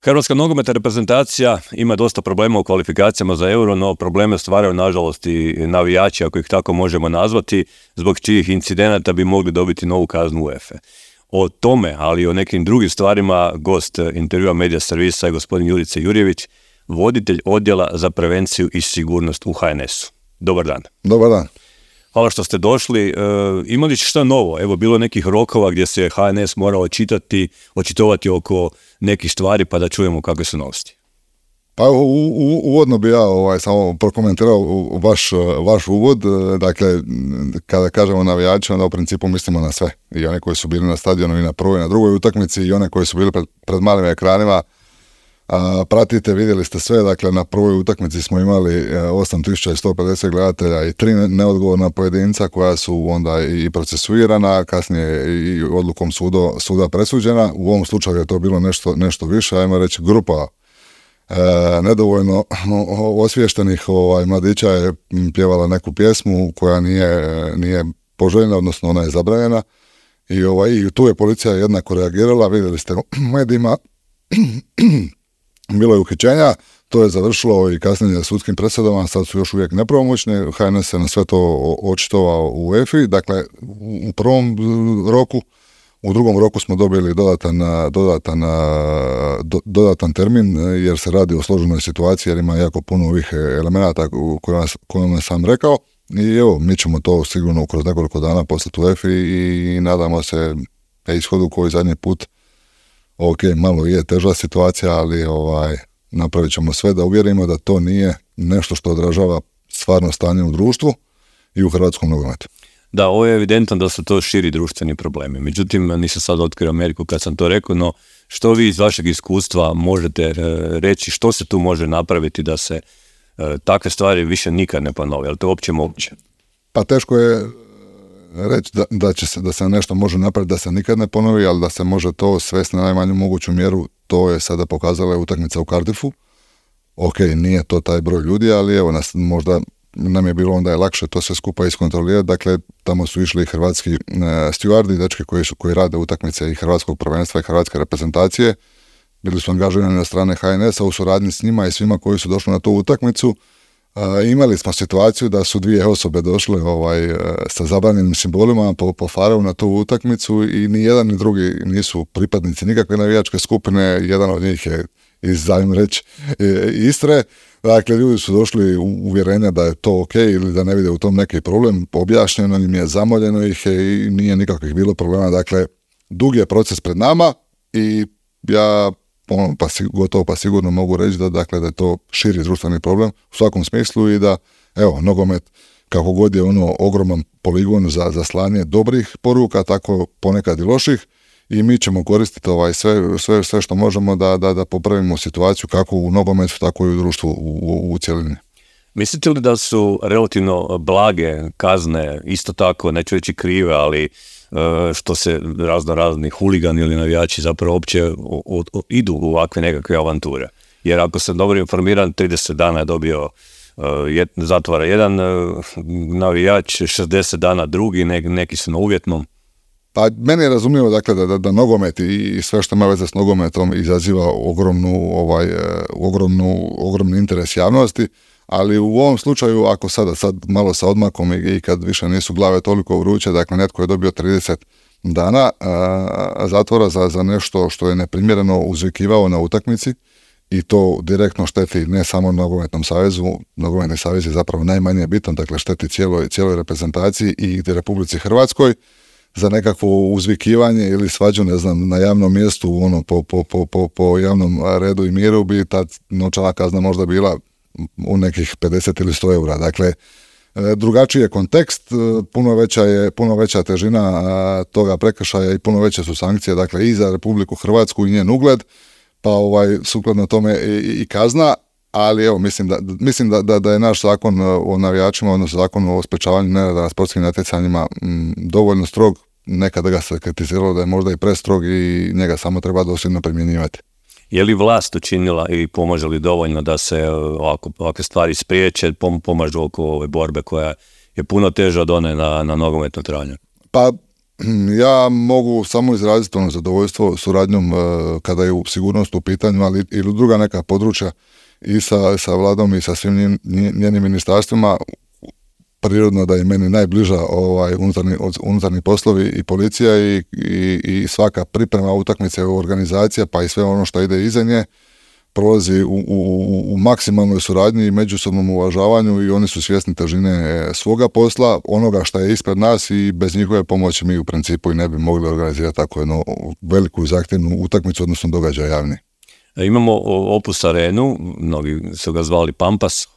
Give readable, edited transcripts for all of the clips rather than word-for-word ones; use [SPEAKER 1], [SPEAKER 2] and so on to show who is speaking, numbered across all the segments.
[SPEAKER 1] Hrvatska nogometna reprezentacija ima dosta problema u kvalifikacijama za Euro, no probleme stvaraju nažalost i navijači, ako ih tako možemo nazvati, zbog čijih incidenata bi mogli dobiti novu kaznu UEFA. O tome, ali i o nekim drugim stvarima, gost intervjua Medija servisa je gospodin Jurica Jurjević, voditelj odjela za prevenciju i sigurnost u HNS-u. Dobar dan.
[SPEAKER 2] Dobar dan.
[SPEAKER 1] Hvala što ste došli. Imali šta novo? Evo, bilo nekih rokova gdje se HNS morao očitovati oko nekih stvari, pa da čujemo kakve su novosti.
[SPEAKER 2] Pa uvodno bi ja samo prokomentirao vaš uvod. Dakle, kada kažemo navijači, onda u principu mislimo na sve. I one koji su bili na stadionu i na prvoj i na drugoj utakmici i one koji su bili pred malim ekranima. Pratite, vidjeli ste sve, dakle na prvoj utakmici smo imali 8150 gledatelja i 3 neodgovorna pojedinca koja su onda i procesuirana, kasnije i odlukom suda presuđena. U ovom slučaju je to bilo nešto više, ajmo reći grupa nedovoljno osviještenih mladića je pjevala neku pjesmu koja nije poželjna, odnosno ona je zabranjena i tu je policija jednako reagirala, vidjeli ste u medijima. Bilo je uhićenja, to je završilo i kasnije sudskim presudama, sad su još uvijek nepravomoćne, HNS se na sve to očitovao u UEFA-i, dakle u prvom roku, u drugom roku smo dobili dodatan termin jer se radi o složenoj situaciji jer ima jako puno ovih elemenata kojima sam rekao i evo, mi ćemo to sigurno kroz nekoliko dana poslati u UEFA-i i nadamo se ishodu koji zadnji put. Ok, malo je teža situacija, ali napravit ćemo sve da uvjerimo da to nije nešto što odražava stvarno stanje u društvu i u hrvatskom nogometu.
[SPEAKER 1] Da, ovo je evidentno da su to širi društveni problemi. Međutim, nisam sad otkrio Ameriku kad sam to rekao, no što vi iz vašeg iskustva možete reći, što se tu može napraviti da se takve stvari više nikad ne ponove? Je li to uopće moguće?
[SPEAKER 2] Pa teško je reći da se nešto može napraviti da se nikad ne ponovi, ali da se može to svesti na najmanju moguću mjeru, to je sada pokazala utakmica u Cardiffu. Ok, nije to taj broj ljudi, ali evo, možda nam je bilo onda je lakše to sve skupa iskontrolirati. Dakle, tamo su išli i hrvatski stjuardi, dečki koji rade utakmice i hrvatskog prvenstva i hrvatske reprezentacije. Bili su angažirani na strane HNS-a u suradnji s njima i svima koji su došli na tu utakmicu. Imali smo situaciju da su 2 osobe došle sa zabranjenim simbolima po fareu na tu utakmicu i ni jedan ni drugi nisu pripadnici nikakve navijačke skupine, jedan od njih je iz Istre. Dakle, ljudi su došli u uvjerenja da je to ok ili da ne vide u tom neki problem, objašnjeno im je, zamoljeno ih je i nije nikakvih bilo problema. Dakle, dug je proces pred nama i ja gotovo pa sigurno mogu reći da je to širi društveni problem u svakom smislu i da, evo, nogomet kako god je ogroman poligon za slanje dobrih poruka, tako ponekad i loših i mi ćemo koristiti sve što možemo da popravimo situaciju kako u nogometu, tako i u društvu u cjelini.
[SPEAKER 1] Mislite li da su relativno blage kazne, isto tako, neću reći krive, ali što se razni huligani ili navijači zapravo uopće idu u ovakve nekakve avanture? Jer ako sam dobro informiran, 30 dana je dobio zatvora jedan navijač, 60 dana drugi, neki su na uvjetnom.
[SPEAKER 2] Pa meni je razumljivo dakle, da nogomet i sve što ima veze s nogometom izaziva ogromni interes javnosti, ali u ovom slučaju, ako sad malo sa odmakom i kad više nisu glave toliko vruće, dakle netko je dobio 30 dana zatvora za nešto što je neprimjereno uzvikivao na utakmici i to direktno šteti ne samo Nogometnom savezu, Nogometni savez je zapravo najmanje bitan, dakle šteti cijeloj reprezentaciji i Republici Hrvatskoj. Za nekakvo uzvikivanje ili svađu, ne znam, na javnom mjestu, po javnom redu i miru bi ta novčana kazna možda bila u nekih 50 ili 100 eura. Dakle, drugačiji je kontekst, puno veća težina toga prekršaja i puno veće su sankcije, dakle, i za Republiku Hrvatsku i njen ugled, pa sukladno tome i kazna, ali evo, mislim da je naš zakon o navijačima, odnosno zakon o sprečavanju nereda na sportskim natjecanjima dovoljno strog, nekada ga se kritiziralo da je možda i prestrog i njega samo treba dosljedno primjenjivati.
[SPEAKER 1] Je li vlast učinila i pomaže li dovoljno da se ovakve stvari spriječe, pomažu oko ove borbe koja je puno teža od one na nogometnu tranje?
[SPEAKER 2] Pa Ja mogu samo izraziti zadovoljstvo suradnjom kada je sigurnost u pitanju, ali ili druga neka područja i sa vladom i sa svim njenim ministarstvima. Prirodno da je meni najbliža unutarnji poslovi i policija i svaka priprema utakmice, organizacija pa i sve ono što ide iza nje prolazi u maksimalnoj suradnji i međusobnom uvažavanju i oni su svjesni težine svoga posla, onoga što je ispred nas i bez njihove pomoći mi u principu i ne bi mogli organizirati tako jednu veliku i zahtjevnu utakmicu, odnosno događaj javni.
[SPEAKER 1] Imamo Opus Arenu, mnogi su ga zvali Pampas,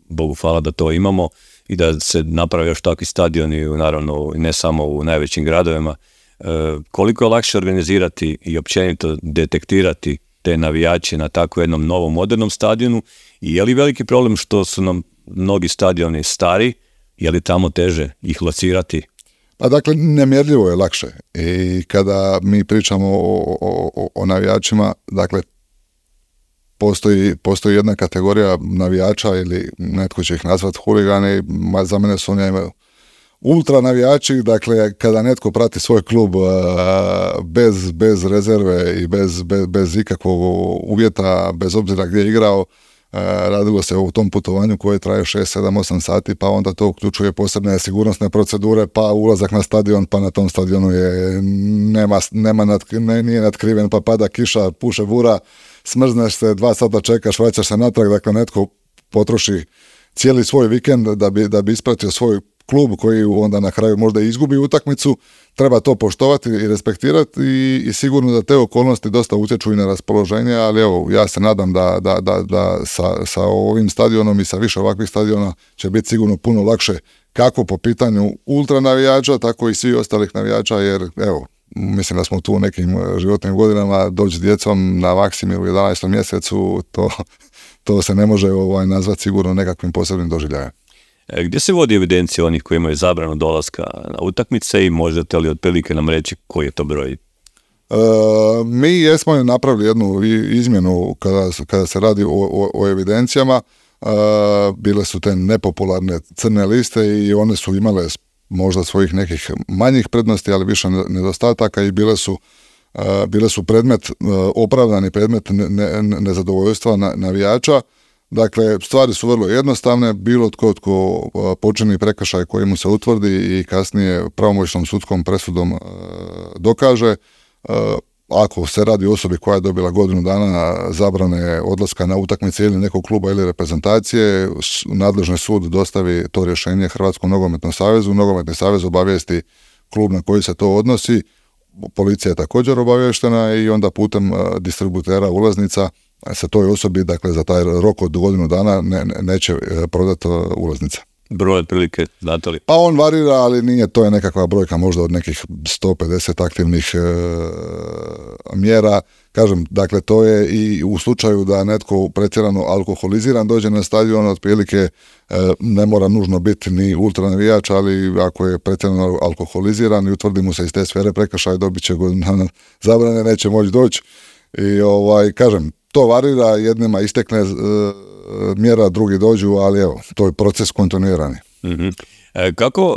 [SPEAKER 1] Bogu hvala da to imamo i da se naprave još takvi stadioni, naravno ne samo u najvećim gradovima. Koliko je lakše organizirati i općenito detektirati te navijače na tako jednom novom modernom stadionu i je li veliki problem što su nam mnogi stadioni stari, je li tamo teže ih locirati?
[SPEAKER 2] Pa dakle, nemjerljivo je lakše i kada mi pričamo o navijačima, dakle, postoji jedna kategorija navijača ili netko će ih nazvati huligani, za mene su oni ultra navijači, dakle kada netko prati svoj klub bez rezerve i bez ikakvog uvjeta, bez obzira gdje je igrao, radilo se o tom putovanju koje traje 6, 7, 8 sati, pa onda to uključuje posebne sigurnosne procedure, pa ulazak na stadion, pa na tom stadionu nije natkriven, pa pada kiša, puše bura, smrzneš se, 2 sata čekaš, vraćaš se natrag, dakle netko potroši cijeli svoj vikend da bi ispratio svoj klub koji onda na kraju možda izgubi utakmicu. Treba to poštovati i respektirati i sigurno da te okolnosti dosta utječu i na raspoloženje, ali evo, ja se nadam da sa ovim stadionom i sa više ovakvih stadiona će biti sigurno puno lakše kako po pitanju ultra navijača, tako i svih ostalih navijača, jer evo, mislim da smo tu u nekim životnim godinama, doći s djecom na Maksimiru u 11. mjesecu, to se ne može nazvati sigurno nekakvim posebnim doživljajem.
[SPEAKER 1] Gdje se vodi evidencija onih koji imaju zabranu dolaska na utakmice i možete li otprilike nam reći koji je to broj?
[SPEAKER 2] Mi jesmo napravili jednu izmjenu kada se radi o evidencijama. Bile su te nepopularne crne liste i one su imale možda svojih nekih manjih prednosti, ali više nedostataka i bile su opravdani predmet nezadovoljstva navijača. Dakle, stvari su vrlo jednostavne, bilo tko počini prekršaj koji mu se utvrdi i kasnije pravomoćnom sudskom presudom dokaže, ako se radi o osobi koja je dobila godinu dana zabrane odlaska na utakmice ili nekog kluba ili reprezentacije, nadležni sud dostavi to rješenje Hrvatskom nogometnom savezu, nogometni savez obavijesti klub na koji se to odnosi, policija je također obavještena i onda putem distributera ulaznica se toj osobi, dakle za taj rok od godinu dana neće prodati ulaznica.
[SPEAKER 1] Broj otprilike, znate li?
[SPEAKER 2] Pa on varira, ali nije, to je nekakva brojka možda od nekih 150 aktivnih mjera. Kažem, dakle to je i u slučaju da netko pretjerano alkoholiziran dođe na stadion, otprilike ne mora nužno biti ni ultra navijač, ali ako je pretjerano alkoholiziran i utvrdi mu se iz te sfere prekršaj, dobit će godinu zabrane, neće moći doći. I kažem, to varira, jednima istekne mjera, drugi dođu, ali evo, to je proces kontinuirani.
[SPEAKER 1] Mm-hmm. Kako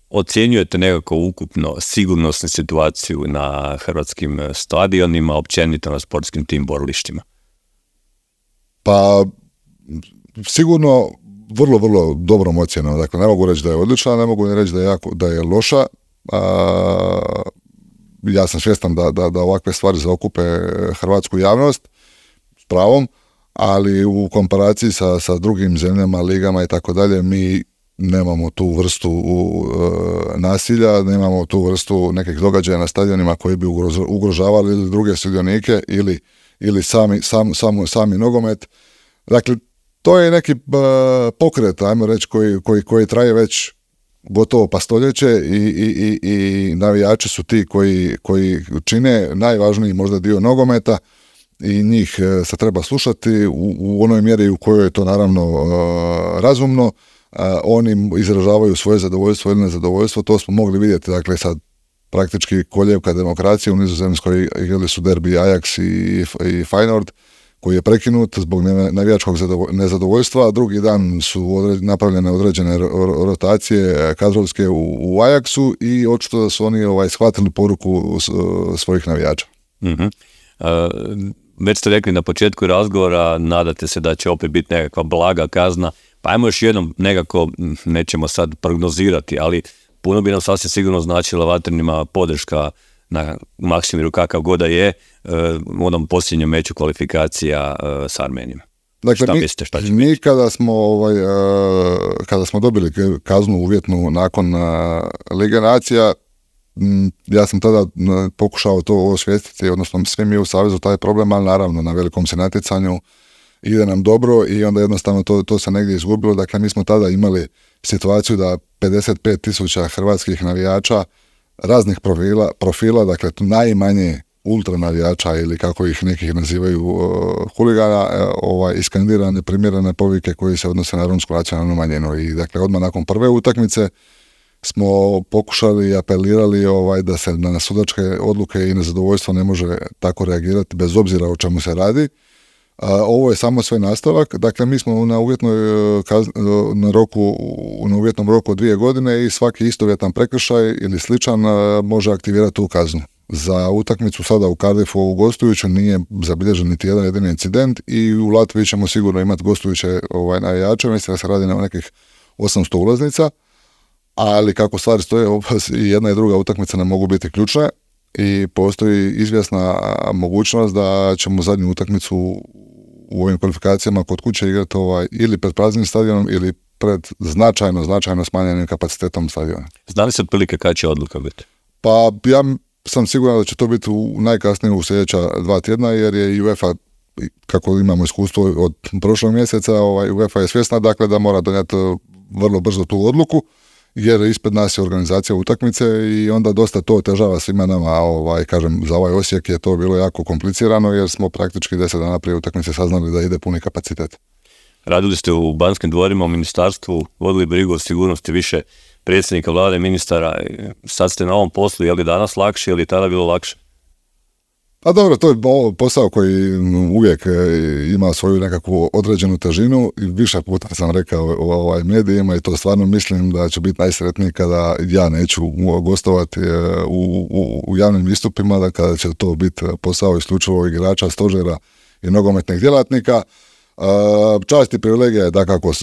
[SPEAKER 1] ocjenjujete nekako ukupno sigurnosnu situaciju na hrvatskim stadionima, općenito na sportskim tim borilištima?
[SPEAKER 2] Pa, sigurno vrlo, vrlo dobrom ocjenom. Dakle, ne mogu reći da je odlična, ne mogu reći da je loša. Ja sam svjestan da ovakve stvari zaokupe hrvatsku javnost s pravom, ali u komparaciji sa drugim zemljama, ligama i tako dalje, mi nemamo tu vrstu nasilja, nemamo tu vrstu nekih događaja na stadionima koji bi ugrožavali ili druge sudionike ili sami nogomet. Dakle, to je neki pokret, ajmo reći, koji traje već gotovo pa stoljeće i navijači su ti koji čine najvažniji možda dio nogometa i njih se treba slušati u onoj mjeri u kojoj je to naravno razumno. Oni izražavaju svoje zadovoljstvo ili nezadovoljstvo, to smo mogli vidjeti, dakle sad praktički koljevka demokracije u Nizozemskoj, igrali su derbi Ajax i Feyenoord, koji je prekinut zbog navijačkog nezadovoljstva. Drugi dan su napravljene određene rotacije kadrovske u Ajaxu i očito da su oni shvatili poruku svojih navijača.
[SPEAKER 1] Mm-hmm. Već ste rekli na početku razgovora, nadate se da će opet biti nekakva blaga kazna, pa ajmo još jednom nekako, nećemo sad prognozirati, ali puno bi nam sasvim sigurno značila Vatrenima podrška na Maksimiru kakav god da je u onom posljednjem meču kvalifikacija s Armenijom.
[SPEAKER 2] Dakle, mi kada smo dobili kaznu uvjetnu nakon Lige nacija, ja sam tada pokušao to osvijestiti, odnosno svi mi u Savezu taj problem, ali naravno na velikom se natjecanju ide nam dobro i onda jednostavno to se negdje izgubilo. Dakle, mi smo tada imali situaciju da 55.000 hrvatskih navijača raznih profila, dakle najmanje ultra navijača ili kako ih nekih nazivaju huligana, iskandirane primjerene povike koji se odnose na romsku nacionalnu manjinu. I dakle, odmah nakon prve utakmice smo pokušali i apelirali da se na sudačke odluke i nezadovoljstvo ne može tako reagirati bez obzira o čemu se radi. Ovo je samo sve nastavak. Dakle, mi smo na uvjetnom roku od 2 godine i svaki istovjetan prekršaj ili sličan može aktivirati tu kaznu. Za utakmicu sada u Cardiffu u gostujuću nije zabilježen niti jedan jedini incident i u Latviji ćemo sigurno imati gostujuće navijače, mislim da se radi na nekih 800 ulaznica, ali kako stvari stoje, i jedna i druga utakmica ne mogu biti ključne i postoji izvjesna mogućnost da ćemo zadnju utakmicu u ovim kvalifikacijama kod kuće igrati ili pred praznim stadionom ili pred značajno smanjenim kapacitetom stadiona.
[SPEAKER 1] Zna li se otprilike kada će odluka biti?
[SPEAKER 2] Pa ja sam siguran da će to biti najkasnije u sljedeća 2 tjedna, jer je UEFA, kako imamo iskustvo od prošlog mjeseca, UEFA je svjesna dakle da mora donijeti vrlo brzo tu odluku, jer ispred nas je organizacija utakmice i onda dosta to otežava svima nama, kažem, za ovaj Osijek je to bilo jako komplicirano jer smo praktički 10 dana prije utakmice saznali da ide puni kapacitet.
[SPEAKER 1] Radili ste u Banskim dvorima, u ministarstvu, vodili brigu o sigurnosti više predsjednika vlade, ministara, sad ste na ovom poslu, je li danas lakše ili tada bilo lakše?
[SPEAKER 2] A dobro, to je posao koji uvijek ima svoju nekakvu određenu težinu i više puta sam rekao u medijima i to stvarno mislim da će biti najsretniji kada ja neću gostovati u javnim istupima, da kada će to biti posao isključivo igrača, stožera i nogometnih djelatnika. Čast i privilegija je dakako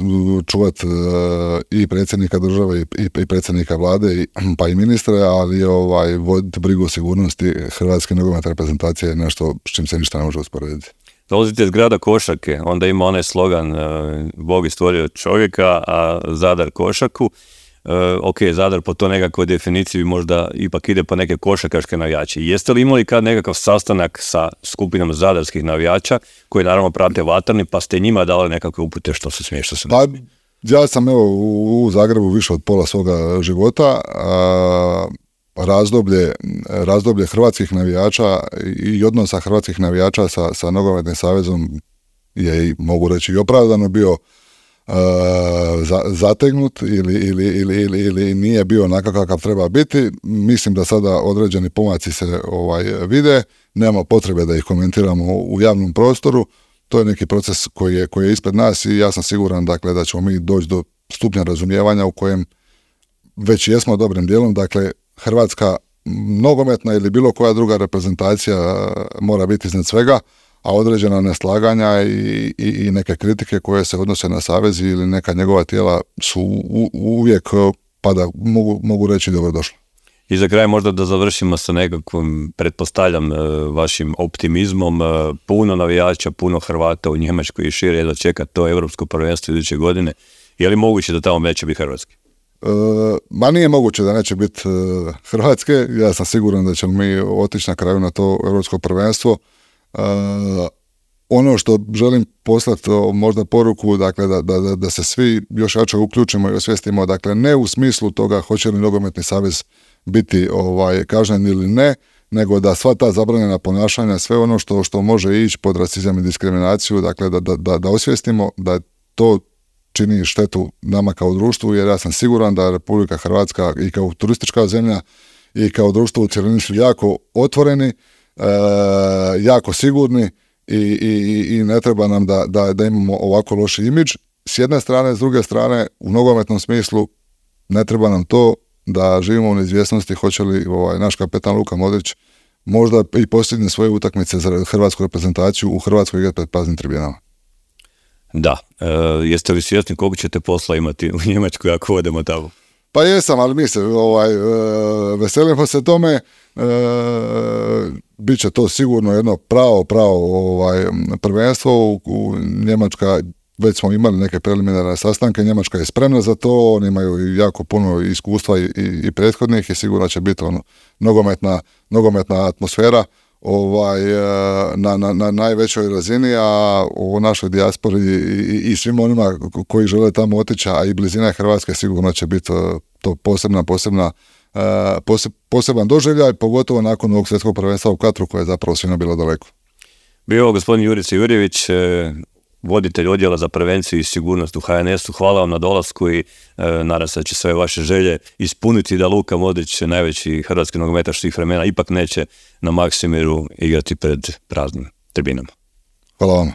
[SPEAKER 2] čuvati i predsjednika države i predsjednika vlade pa i ministre, ali voditi brigu o sigurnosti hrvatske nogometne reprezentacije je nešto s čim se ništa ne može usporediti.
[SPEAKER 1] Dolazite iz grada košarke, onda ima onaj slogan Bog je stvorio čovjeka, a Zadar košarku. Ok, Zadar po to nekakvoj definiciji možda ipak ide po neke košarkaške navijače. Jeste li imali kad nekakav sastanak sa skupinom zadarskih navijača koji naravno prate Vatreni, pa ste njima dali nekakve upute što se smije, što se ne smije?
[SPEAKER 2] Ja sam u Zagrebu više od pola svoga života. Razdoblje hrvatskih navijača i odnosa hrvatskih navijača sa Nogometnim savezom je, mogu reći, i opravdano bio zategnut ili nije bio onakav kakav treba biti. Mislim da sada određeni pomaci se vide, nema potrebe da ih komentiramo u javnom prostoru. To je neki proces koji je ispred nas i ja sam siguran dakle da ćemo mi doći do stupnja razumijevanja u kojem već jesmo dobrim dijelom. Dakle, hrvatska nogometna ili bilo koja druga reprezentacija mora biti iznad svega, a određena neslaganja i neke kritike koje se odnose na savez ili neka njegova tijela su uvijek, pa da mogu reći, dobrodošle.
[SPEAKER 1] I za kraj možda da završimo sa nekakvim, pretpostavljam, vašim optimizmom. Puno navijača, puno Hrvata u Njemačkoj i šire da čeka to Europsko prvenstvo iduće godine. Je li moguće da tamo neće biti hrvatski?
[SPEAKER 2] Ma nije moguće da neće biti hrvatske. Ja sam siguran da ćemo mi otići na kraju na to Europsko prvenstvo. Ono što želim poslati možda poruku, dakle da se svi još jače uključimo i osvijestimo, dakle ne u smislu toga hoće li Nogometni savez biti kažnjen ili ne, nego da sva ta zabranjena ponašanja, sve ono što može ići pod rasizam i diskriminaciju, dakle da osvijestimo da to čini štetu nama kao društvu, jer ja sam siguran da Republika Hrvatska i kao turistička zemlja i kao društvo u cjelini su jako otvoreni, jako sigurni i ne treba nam da imamo ovako loši imidž. S jedne strane, s druge strane, u nogometnom smislu ne treba nam to da živimo u neizvjesnosti hoće li naš kapetan Luka Modrić možda i postigne svoje utakmice za hrvatsku reprezentaciju u Hrvatskoj igrati pred praznim tribinama.
[SPEAKER 1] Da, jeste li svjesni koliko ćete posla imati u Njemačkoj ako odemo tamo?
[SPEAKER 2] Pa jesam, ali mi se veselimo se tome. Biće to sigurno jedno pravo prvenstvo. U Njemačka, već smo imali neke preliminarne sastanke, Njemačka je spremna za to, oni imaju jako puno iskustva i prethodnih i sigurno će biti nogometna atmosfera na najvećoj razini, a u našoj dijaspori i svim onima koji žele tamo otići, a i blizina Hrvatske sigurno će biti to poseban doživljaj, pogotovo nakon ovog svjetskog prvenstva u Katru koje je zapravo svima bilo daleko.
[SPEAKER 1] Bio gospodin Jurica Jurjević, voditelj odjela za prevenciju i sigurnost u HNS-u. Hvala vam na dolasku i nadam se da će sve vaše želje ispuniti da Luka Modrić, najveći hrvatski nogometaš svih vremena, ipak neće na Maksimiru igrati pred praznim tribinama.
[SPEAKER 2] Hvala vam.